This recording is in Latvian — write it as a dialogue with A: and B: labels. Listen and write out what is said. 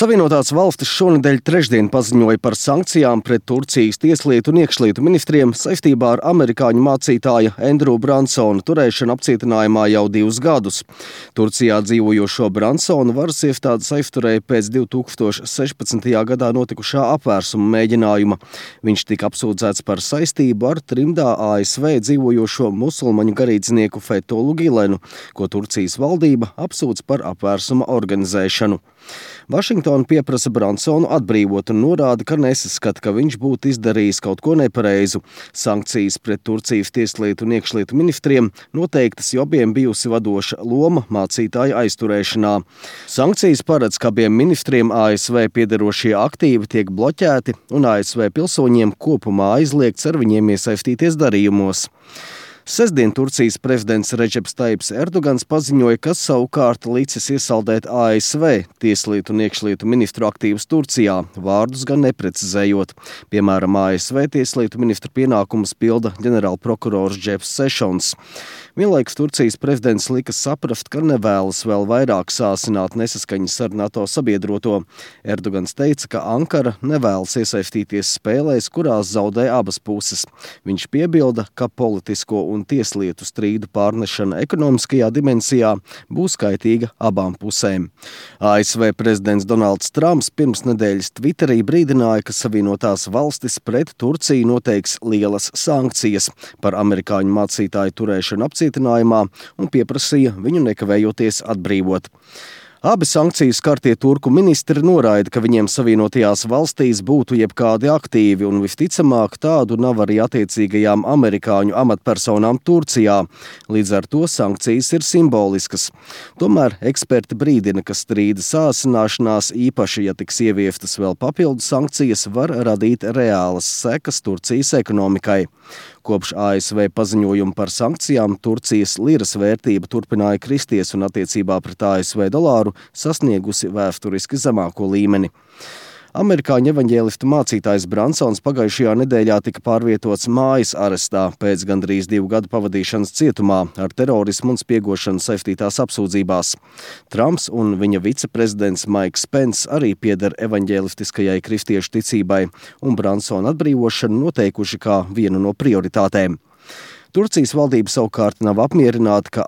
A: Savienotās valstis šonedēļ trešdien paziņoja par sankcijām pret Turcijas tieslietu un iekšlietu ministriem saistībā ar amerikāņu mācītāja Andrew Bransona turēšanu apcietinājumā jau 2 gadus. Turcijā dzīvojošo Bransonu varas iestādes aizturēja pēc 2016. gadā notikušā apvērsuma mēģinājuma. Viņš tika apsūdzēts par saistību ar trimdā ASV dzīvojošo musulmaņu garīdznieku Fethullu Gülenu, ko Turcijas valdība apsūdz par apvērsuma organizēšanu. Vašingtona pieprasa Bransonu atbrīvot un norāda, ka nesaskata, ka viņš būtu izdarījis kaut ko nepareizu. Sankcijas pret Turcijas tieslietu un iekšlietu ministriem noteiktas, jo abiem bijusi vadoša loma mācītāja aizturēšanā. Sankcijas paredz, ka abiem ministriem ASV piederošie aktīvi tiek bloķēti un ASV pilsoņiem kopumā aizliegts ar viņiem iesaistīties darījumos. Sestdien Turcijas prezidents Redžeps Tajjips Erdogans paziņoja, ka savukārt licis iesaldēt ASV tieslietu un iekšlietu ministru aktīvus Turcijā, vārdus gan neprecizējot. Piemēram, ASV tieslietu ministru pienākumus pilda ģenerālprokurors Jeffs Sessions. Vienlaikus Turcijas prezidents lika saprast, ka nevēlas vēl vairāk sāsināt nesaskaņas ar NATO sabiedroto. Erdogans teica, ka Ankara nevēlas iesaistīties spēlēs, kurās zaudē abas puses. Viņš piebilda, ka politisko un tieslietu strīdu pārnešana ekonomiskajā dimensijā būs kaitīga abām pusēm. ASV prezidents Donalds Trumps pirms nedēļas Twitterī brīdināja, ka Savienotās valstis pret Turciju noteiks lielas sankcijas par amerikāņu mācītāju turēšanu apcietinājumā un pieprasīja viņu nekavējoties atbrīvot. Abi sankciju skartie turku ministri noraida, ka viņiem Savienotajās valstīs būtu jebkādi aktīvi, un visticamāk tādu nav arī attiecīgajām amerikāņu amatpersonām Turcijā. Līdz ar to sankcijas ir simboliskas. Tomēr eksperti brīdina, ka strīda sāsināšanās, īpaši, ja tiks ieviestas vēl papildu sankcijas, var radīt reālas sekas Turcijas ekonomikai. Kopš ASV paziņojuma par sankcijām Turcijas liras vērtība turpināja kristies un attiecībā pret ASV dolāru sasniegusi vēsturiski zemāko līmeni. Amerikāņu evaņģēlistu mācītājs Bransons pagājušajā nedēļā tika pārvietots mājas arestā pēc gandrīz 2 gadu pavadīšanas cietumā ar terorismu un spiegošanu saistītās apsūdzībās. Trumps un viņa viceprezidents Maiks Pence arī pieder evaņģēlistiskajai kristiešu ticībai un Bransona atbrīvošanu noteikuši kā vienu no prioritātēm. Turcijas valdība savukārt nav apmierināta, ka